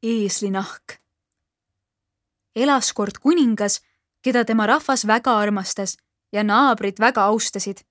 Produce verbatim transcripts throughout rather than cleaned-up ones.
eeslinahk. Elas kord kuningas, keda tema rahvas väga armastas ja naabrid väga austasid.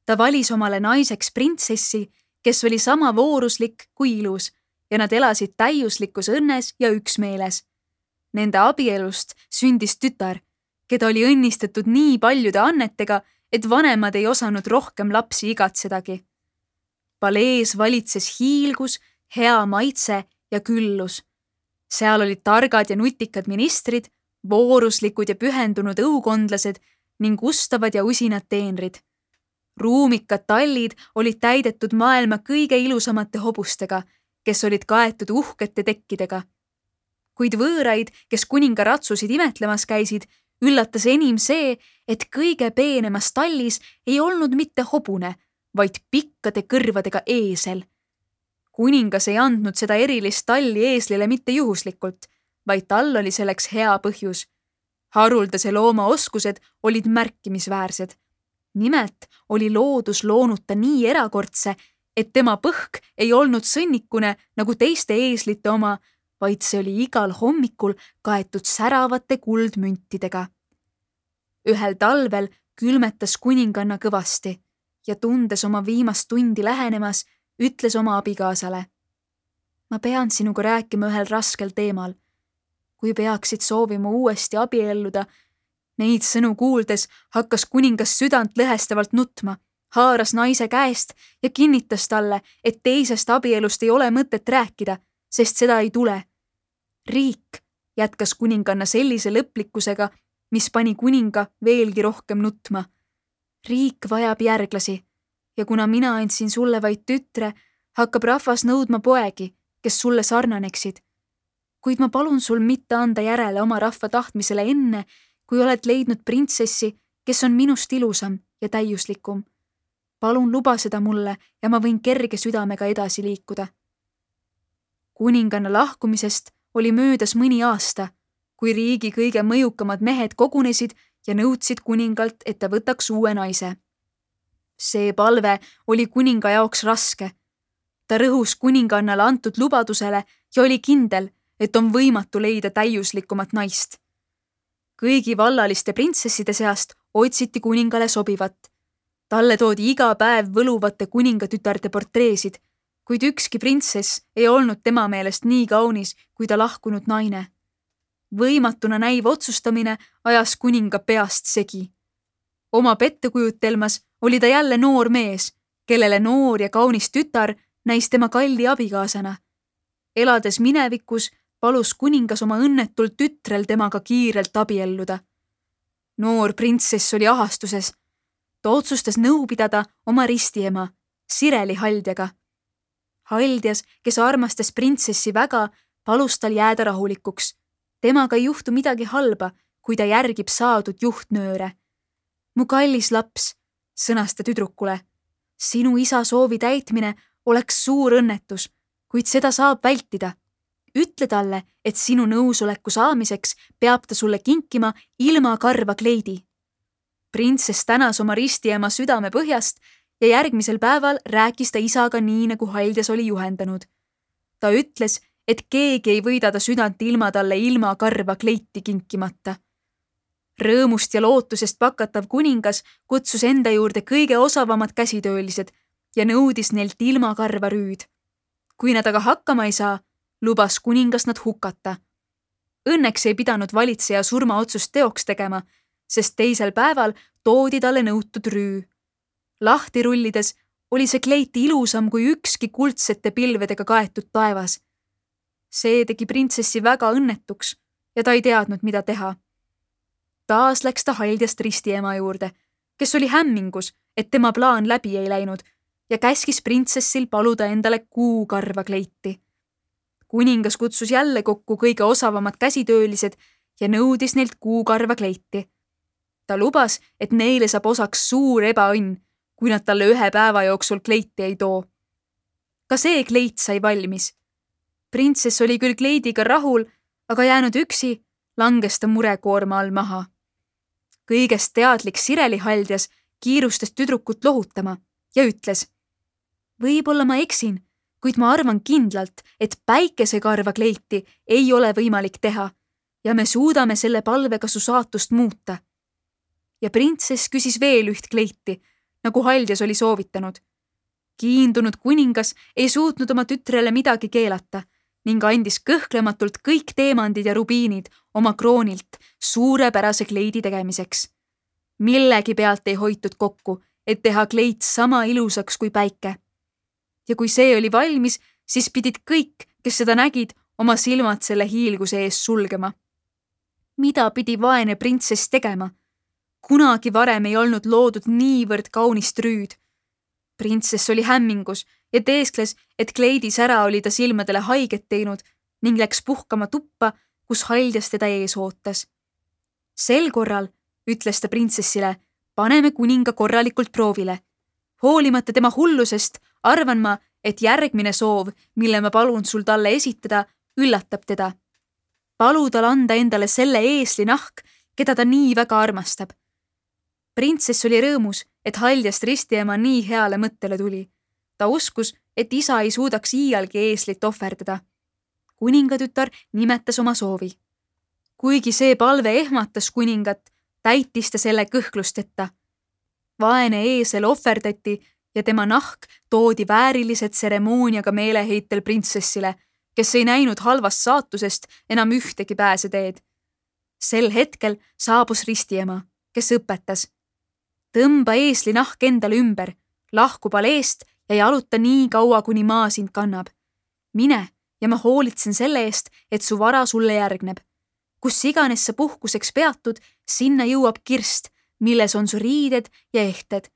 Ta valis omale naiseks printsessi, kes oli sama vooruslik kui ilus ja nad elasid täiuslikus õnnes ja üksmeeles. Nende abielust sündis tütar, keda oli õnnistatud nii paljude annetega, et vanemad ei osanud rohkem lapsi igatsedagi. Palees valitses hiilgus, hea maitse ja küllus. Seal olid targad ja nutikad ministrid, vooruslikud ja pühendunud õukondlased ning ustavad ja usinad teenrid. Ruumikad tallid olid täidetud maailma kõige ilusamate hobustega, kes olid kaetud uhkete tekkidega. Kuid võõraid, kes kuninga ratsusid imetlemas käisid, üllatas enim see, et kõige peenemas tallis ei olnud mitte hobune, vaid pikkade kõrvadega eesel. Kuningas ei andnud seda erilist talli eeslile mitte juhuslikult, vaid tal oli selleks hea põhjus. Haruldase looma oskused olid märkimisväärsed. Nimelt oli loodus loonud ta nii erakordse, et tema põhk ei olnud sõnnikune nagu teiste eeslite oma, vaid see oli igal hommikul kaetud säravate kuldmüntidega. Ühel talvel külmetas kuninganna kõvasti ja tundes oma viimast tundi lähenemas, ütles oma abikaasale. Ma pean sinuga rääkima ühel raskel teemal. Kui peaksid soovima uuesti abielluda, neid sõnu kuuldes hakkas kuningas südant lõhestavalt nutma, haaras naise käest ja kinnitas talle, et teisest abielust ei ole mõtet rääkida, sest seda ei tule. Riik, jätkas kuninganna sellise lõplikkusega, mis pani kuninga veelgi rohkem nutma. Riik vajab järglasi ja kuna mina andsin sulle vaid tütre, hakkab rahvas nõudma poegi, kes sulle sarnaneksid. Kuid ma palun sul mitte anda järele oma rahva tahtmisele enne, kui oled leidnud printsessi, kes on minust ilusam ja täiuslikum. Palun luba seda mulle ja ma võin kerge südamega edasi liikuda. Kuninganna lahkumisest oli möödas mõni aasta, kui riigi kõige mõjukamad mehed kogunesid ja nõudsid kuningalt, et ta võtaks uue naise. See palve oli kuninga jaoks raske. Ta rõhus kuningannale antud lubadusele ja oli kindel, et on võimatu leida täiuslikumat naist. Kõigi vallaliste printsesside seast otsiti kuningale sobivat. Talle toodi iga päev võluvate kuningatütarde portreesid, kuid ükski printsess ei olnud tema meelest nii kaunis kui ta lahkunud naine. Võimatuna näiv otsustamine ajas kuninga peast segi. Oma pettekujutelmas oli ta jälle noor mees, kellele noor ja kaunis tütar näis tema kalli abikaasana. Elades minevikus, palus kuningas oma õnnetul tütrel temaga kiirelt abielluda. Noor printsess oli ahastuses. Ta otsustas nõu pidada oma ristiema, Sireli Haldjaga. Haldjas, kes armastas printsessi väga, palus tal jääda rahulikuks. Temaga ei juhtu midagi halba, kui ta järgib saadud juhtnööre. Mu kallis laps, sõnas ta tüdrukule, sinu isa soovi täitmine oleks suur õnnetus, kuid seda saab vältida. Ütle talle, et sinu nõusoleku saamiseks peab ta sulle kinkima ilma karva kleidi. Printsess tänas oma ristiema südame põhjast ja järgmisel päeval rääkis ta isaga nii, nagu Haldjas oli juhendanud. Ta ütles, et keegi ei võida ta südant ilma talle ilma karva kleiti kinkimata. Rõõmust ja lootusest pakatav kuningas kutsus enda juurde kõige osavamad käsitöölised ja nõudis neilt ilma karva rüüd. Kui nad aga hakkama ei saa, lubas kuningas nad hukata. Õnneks ei pidanud valitseja surmaotsust teoks tegema, sest teisel päeval toodi talle nõutud rüü. Lahti rullides oli see kleit ilusam kui ükski kuldsete pilvedega kaetud taevas. See tegi printsessi väga õnnetuks ja ta ei teadnud, mida teha. Taas läks ta Haldjast ristiema juurde, kes oli hämmingus, et tema plaan läbi ei läinud ja käskis printsessil paluda endale kuukarva kleiti. Kuningas kutsus jälle kokku kõige osavamad käsitöölised ja nõudis neilt kuukarva kleiti. Ta lubas, et neile saab osaks suur ebaõnn, kui nad talle ühe päeva jooksul kleiti ei too. Ka see kleit sai valmis. Printsess oli küll kleidiga rahul, aga jäänud üksi, langes ta murekoorma all maha. Kõigest teadlik Sireli Haldjas kiirustas tüdrukut lohutama ja ütles, võib-olla ma eksin, kuid ma arvan kindlalt, et päikesekarva kleiti ei ole võimalik teha ja me suudame selle palvega su saatust muuta. Ja printsess küsis veel üht kleiti, nagu Haljas oli soovitanud. Kiindunud kuningas ei suutnud oma tütrele midagi keelata ning andis kõhklematult kõik teemandid ja rubiinid oma kroonilt suurepärase kleidi tegemiseks. Millegi pealt ei hoitud kokku, et teha kleit sama ilusaks kui päike. Ja kui see oli valmis, siis pidid kõik, kes seda nägid, oma silmad selle hiilguse ees sulgema. Mida pidi vaene printsess tegema? Kunagi varem ei olnud loodud niivõrd kaunist rüüd. Printsess oli hämmingus ja teeskles, et kleidi sära oli ta silmadele haiget teinud ning läks puhkama tuppa, kus Haljas teda ees ootas. Sel korral, ütles ta printsessile, paneme kuninga korralikult proovile. Hoolimata tema hullusest, arvan ma, et järgmine soov, mille ma palun sul talle esitada, üllatab teda. Palu tal anda endale selle eesli nahk, keda ta nii väga armastab. Printsess oli rõõmus, et Haljast ristiema nii heale mõttele tuli. Ta uskus, et isa ei suudaks iialgi eeslit ohverdada. Kuningatütar nimetas oma soovi. Kuigi see palve ehmatas kuningat, täitis ta selle kõhklusteta. Vaene eesel ohverdati ja tema nahk toodi väärilised tseremooniaga meeleheitel printsessile, kes ei näinud halvast saatusest enam ühtegi pääseteed. Sel hetkel saabus ristiema, kes õpetas. Tõmba eesli nahk endale ümber, lahku paleest ja jaluta nii kaua, kuni maa sind kannab. Mine ja ma hoolitsen selle eest, et su vara sulle järgneb. Kus iganes sa puhkuseks peatud, sinna jõuab kirst, milles on su riided ja ehted.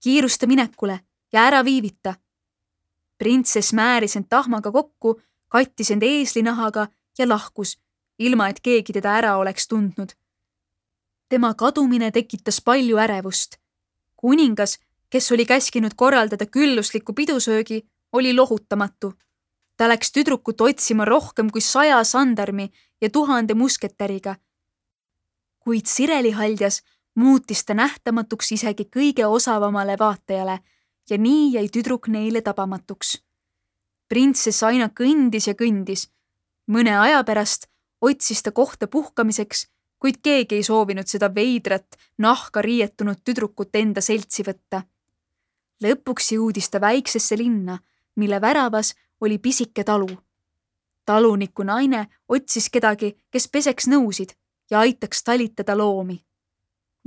Kiirusta minekule ja ära viivita. Printsess määris end tahmaga kokku, kattis end eeslinahaga ja lahkus, ilma et keegi teda ära oleks tundnud. Tema kadumine tekitas palju ärevust. Kuningas, kes oli käskinud korraldada küllusliku pidusöögi, oli lohutamatu. Ta läks tüdrukut otsima rohkem kui saja sandarmi ja tuhande musketäriga. Kuid Sireli Haljas muutis ta nähtamatuks isegi kõige osavamale vaatajale ja nii jäi tüdruk neile tabamatuks. Printsess aina kõndis ja kõndis. Mõne aja pärast otsis ta kohta puhkamiseks, kuid keegi ei soovinud seda veidrat, nahka riietunud tüdrukut enda seltsi võtta. Lõpuks jõudis ta väiksesse linna, mille väravas oli pisike talu. Taluniku naine otsis kedagi, kes peseks nõusid ja aitaks talitada loomi.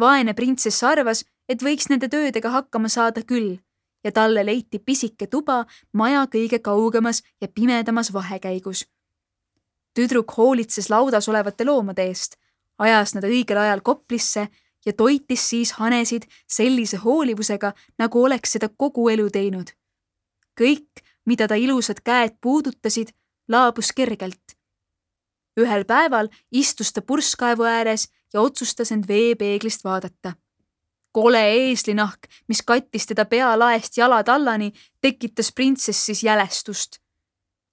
Vaene printsess arvas, et võiks nende töödega hakkama saada küll ja talle leiti pisike tuba maja kõige kaugemas ja pimedamas vahekäigus. Tüdruk hoolitses laudas olevate loomade eest, ajas nad õigel ajal koplisse ja toitis siis hanesid sellise hoolivusega, nagu oleks seda kogu elu teinud. Kõik, mida ta ilusad käed puudutasid, laabus kergelt. Ühel päeval istus ta purskkaevu ääres ja otsustas end veepeeglist vaadata. Kole eeslinahk, mis kattis teda pealaest jalad allani, tekitas printsessis jälestust.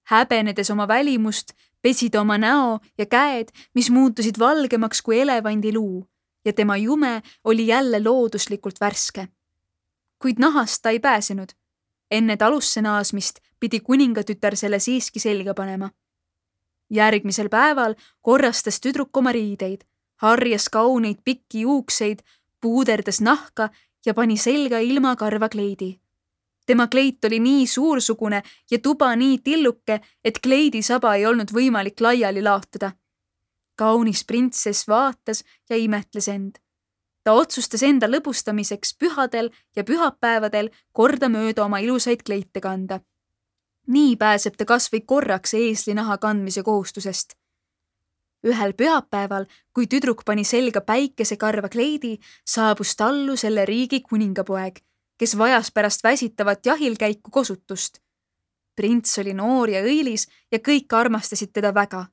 Häbenedes oma välimust, pesi ta oma näo ja käed, mis muutusid valgemaks kui elevandi luu ja tema jume oli jälle looduslikult värske. Kuid nahast ta ei pääsenud. Enne talusse naasmist pidi kuningatütar selle siiski selga panema. Järgmisel päeval korrastas tüdruk oma riideid, harjas kauneid pikki juukseid, puuderdas nahka ja pani selga ilma karva kleidi. Tema kleit oli nii suursugune ja tuba nii tilluke, et kleidisaba ei olnud võimalik laiali laotada. Kaunis printsess vaatas ja imetles end. Ta otsustas enda lõbustamiseks pühadel ja pühapäevadel kordamööda oma ilusaid kleite kanda. Nii pääseb ta kas või korraks eeslinaha kandmise kohustusest. Ühel pühapäeval, kui tüdruk pani selga päikesekarva kleidi, saabus tallu selle riigi kuningapoeg, kes vajas pärast väsitavat jahilkäiku kosutust. Prints oli noor ja õilis ja kõik armastasid teda väga.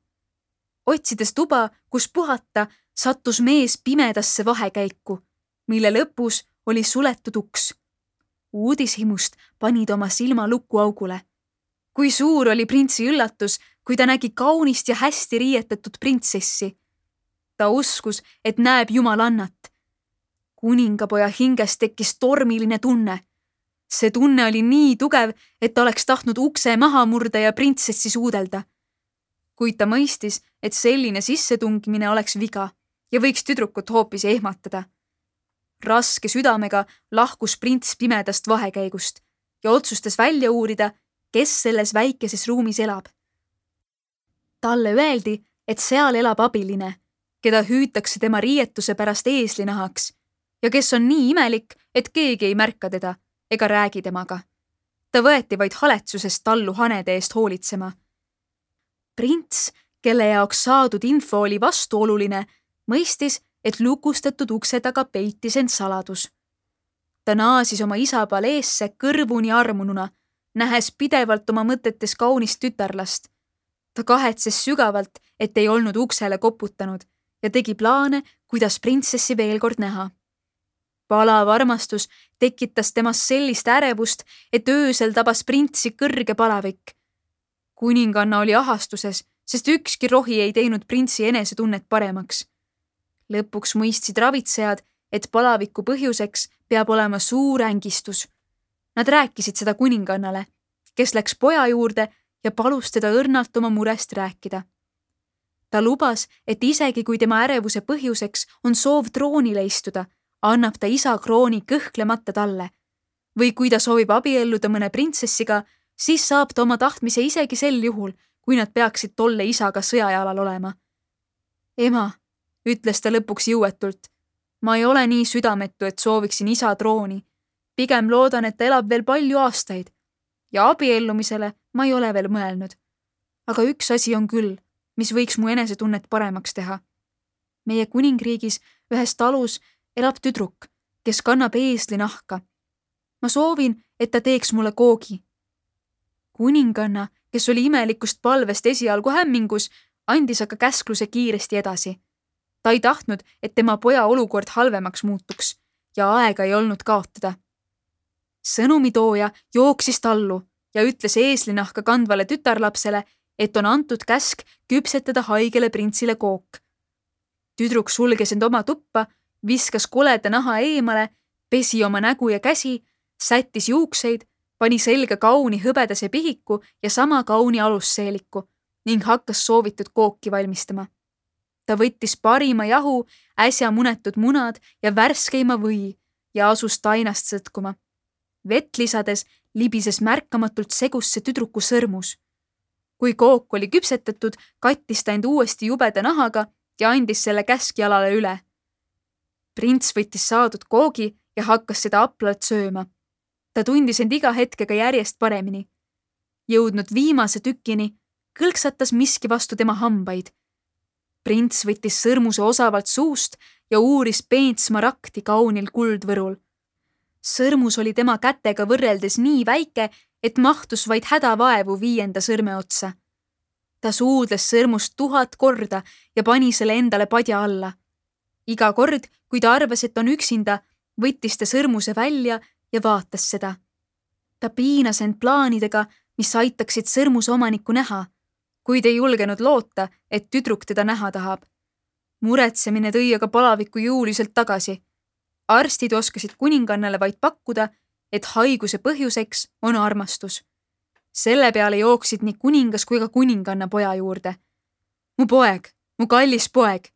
Otsides tuba, kus puhata, sattus mees pimedasse vahekäiku, mille lõpus oli suletud uks. Uudishimust panid oma silma lukuaugule. Kui suur oli printsi üllatus, kui ta nägi kaunist ja hästi riietatud printsessi. Ta uskus, et näeb jumalannat. Kuningapoja hinges tekkis tormiline tunne. See tunne oli nii tugev, et ta oleks tahtnud ukse maha murda ja printsessi suudelda. Kuid ta mõistis, et selline sissetungimine oleks viga ja võiks tüdrukut hoopis ehmatada. Raske südamega lahkus prints pimedast vahekäigust ja otsustas välja uurida, kes selles väikeses ruumis elab. Talle öeldi, et seal elab abiline, keda hüütakse tema riietuse pärast eeslinahaks ja kes on nii imelik, et keegi ei märka teda ega räägi temaga. Ta võeti vaid haletsusest tallu hanede eest hoolitsema. Prints, kelle jaoks saadud info oli vastuoluline, mõistis, et lukustatud ukse taga peitis end saladus. Ta naasis oma isa paleesse kõrvuni armununa, nähes pidevalt oma mõtetes kaunist tütarlast. Ta kahetses sügavalt, et ei olnud uksele koputanud ja tegi plaane, kuidas printsessi veel kord näha. Palav armastus tekitas temast sellist ärevust, et öösel tabas printsi kõrge palavik. Kuninganna oli ahastuses, sest ükski rohi ei teinud printsi enesetunnet paremaks. Lõpuks mõistsid ravitsejad, et palaviku põhjuseks peab olema suur ängistus. Nad rääkisid seda kuningannale, kes läks poja juurde ja palus teda õrnalt oma murest rääkida. Ta lubas, et isegi kui tema ärevuse põhjuseks on soov troonile istuda, annab ta isa krooni kõhklemata talle. Või kui ta soovib abielluda mõne printsessiga, siis saab ta oma tahtmise isegi sel juhul, kui nad peaksid tolle isaga sõjajalal olema. Ema, ütles ta lõpuks jõuetult, ma ei ole nii südametu, et sooviksin isa trooni. Pigem loodan, et ta elab veel palju aastaid. Ja abiellumisele ma ei ole veel mõelnud. Aga üks asi on küll, mis võiks mu enesetunnet paremaks teha. Meie kuningriigis ühes talus elab tüdruk, kes kannab eesli nahka. Ma soovin, et ta teeks mulle koogi. Kuninganna, kes oli imelikust palvest esialgu hämmingus, andis aga käskluse kiiresti edasi. Ta ei tahtnud, et tema poja olukord halvemaks muutuks ja aega ei olnud kaotada. Sõnumitooja jooksis tallu ja ütles eeslinahka kandvale tütarlapsele, et on antud käsk küpsetada haigele printsile kook. Tüdruk sulges end oma tuppa, viskas koleda naha eemale, pesi oma nägu ja käsi, sättis juukseid, pani selga kauni hõbedase pihiku ja sama kauni alusseeliku ning hakkas soovitud kooki valmistama. Ta võttis parima jahu, äsja munetud munad ja värskeima või ja asus tainast sõtkuma. Vett lisades libises märkamatult segusse tüdruku sõrmus. Kui kook oli küpsetatud, kattis ta end uuesti jubeda nahaga ja andis selle käskjalale üle. Prints võttis saadud koogi ja hakkas seda aplalt sööma. Ta tundis end iga hetkega järjest paremini. Jõudnud viimase tükini, kõlksatas miski vastu tema hambaid. Prints võttis sõrmuse osavalt suust ja uuris peent smaragdi kaunil kuldvõrul. Sõrmus oli tema kätega võrreldes nii väike, et mahtus vaid hädavaevu viienda sõrme otsa. Ta suudles sõrmust tuhat korda ja pani selle endale padja alla. Iga kord, kui ta arvas, et on üksinda, võttis ta sõrmuse välja ja vaatas seda. Ta piinas end plaanidega, mis aitaksid sõrmuse omanikku näha, kuid ei julgenud loota, et tüdruk teda näha tahab. Muretsemine tõi aga palaviku jõuliselt tagasi. Arstid oskasid kuningannale vaid pakkuda, et haiguse põhjuseks on armastus. Selle peale jooksid nii kuningas kui ka kuninganna poja juurde. Mu poeg, mu kallis poeg,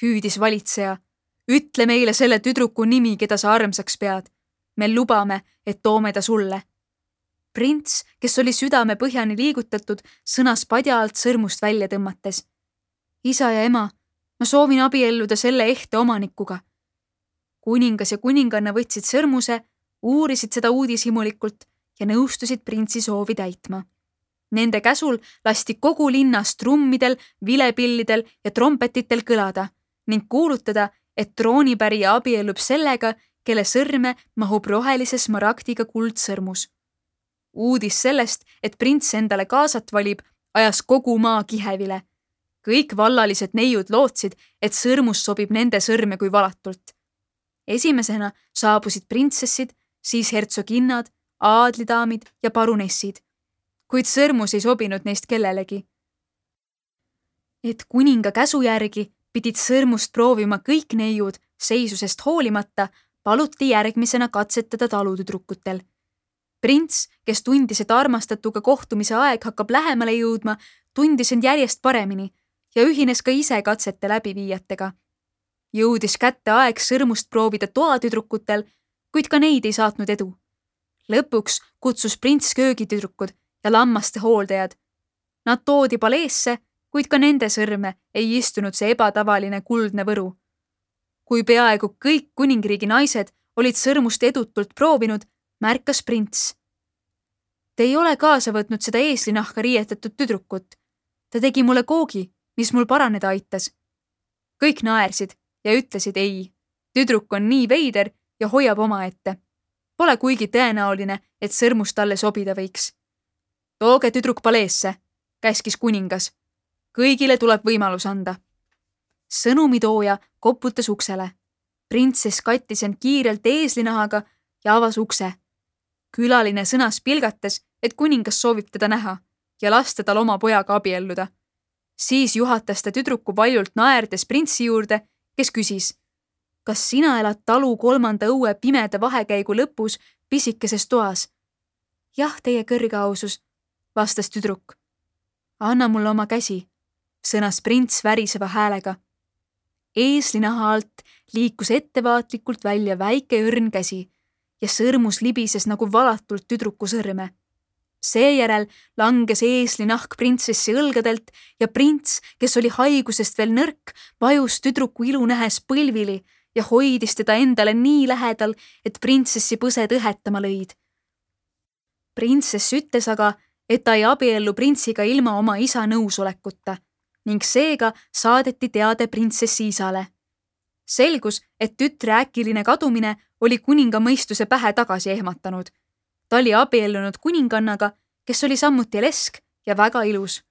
hüüdis valitseja. Ütle meile selle tüdruku nimi, keda sa armsaks pead. Me lubame, et toome ta sulle. Prints, kes oli südame põhjani liigutatud, sõnas padja alt sõrmust välja tõmmates. Isa ja ema, ma soovin abielluda selle ehte omanikuga. Kuningas ja kuninganna võtsid sõrmuse, uurisid seda uudishimulikult ja nõustusid printsi soovi täitma. Nende käsul lasti kogu linnas trummidel, vilepillidel ja trompetitel kõlada ning kuulutada, et troonipärija abiellub sellega, kelle sõrme mahub rohelise smaragdiga kuldsõrmus. Uudis sellest, et prints endale kaasat valib, ajas kogu maa kihevile. Kõik vallalised neiud lootsid, et sõrmus sobib nende sõrme kui valatult. Esimesena saabusid printsessid, siis hertsoginnad, aadlidaamid ja parunessid, kuid sõrmus ei sobinud neist kellelegi. Et kuninga käsu järgi pidid sõrmust proovima kõik neiud, seisusest hoolimata paluti järgmisena katsetada talutüdrukutel. Prints, kes tundis, et armastatuga kohtumise aeg hakkab lähemale jõudma, tundis end järjest paremini ja ühines ka ise katsete läbiviijatega. Jõudis kätte aeg sõrmust proovida toatüdrukutel, kuid ka neid ei saatnud edu. Lõpuks kutsus prints köögitüdrukud ja lammaste hooldajad. Nad toodi paleesse, kuid ka nende sõrme ei istunud see ebatavaline kuldne võru. Kui peaaegu kõik kuningriigi naised olid sõrmust edutult proovinud, märkas prints. Te ei ole kaasa võtnud seda eeslinahka riietatud tüdrukut. Ta tegi mulle koogi, mis mul paraneda aitas. Kõik naersid ja ütlesid ei. Tüdruk on nii veider ja hoiab oma ette. Pole kuigi tõenäoline, et sõrmust talle sobida võiks. Tooge tüdruk paleesse, käskis kuningas. Kõigile tuleb võimalus anda. Sõnumitooja koputas uksele. Printsess kattis end kiirelt eeslinahaga ja avas ukse. Külaline sõnas pilgates, et kuningas soovib teda näha ja lasta tal oma pojaga abielluda. Siis juhatas ta tüdruku valjult naerdes printsi juurde, kes küsis, kas sina elad talu kolmanda õue pimeda vahekäigu lõpus pisikeses toas? Jah, teie kõrge ausus, vastas tüdruk. Anna mulle oma käsi, sõnas prints väriseva häälega. Eeslinaha alt liikus ettevaatlikult välja väike õrn käsi ja sõrmus libises nagu valatult tüdruku sõrme. Seejärel langes eeslinahk printsessi õlgadelt ja prints, kes oli haigusest veel nõrk, vajus tüdruku ilu nähes põlvili ja hoidis teda endale nii lähedal, et printsessi põsed õhetama lõid. Printsess ütles aga, et ta ei abiellu printsiga ilma oma isa nõusolekuta ning seega saadeti teade printsessi isale. Selgus, et tütre äkiline kadumine oli kuninga mõistuse pähe tagasi ehmatanud. Ta oli abiellunud kuningannaga, kes oli samuti lesk ja väga ilus.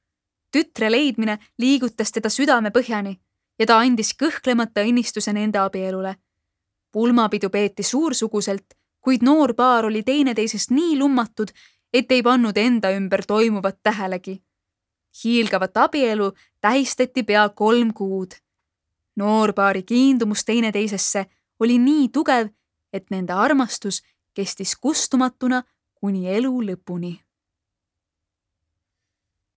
Tütre leidmine liigutas teda südame põhjani ja ta andis kõhklemata õnnistuse nende abielule. Pulmapidu peeti suursuguselt, kuid noor paar oli teineteisest nii lummatud, et ei pannud enda ümber toimuvat tähelegi. Hiilgavat abielu tähistati pea kolm kuud. Noorpaari kiindumus teineteisesse oli nii tugev, et nende armastus kestis kustumatuna kuni elu lõpuni.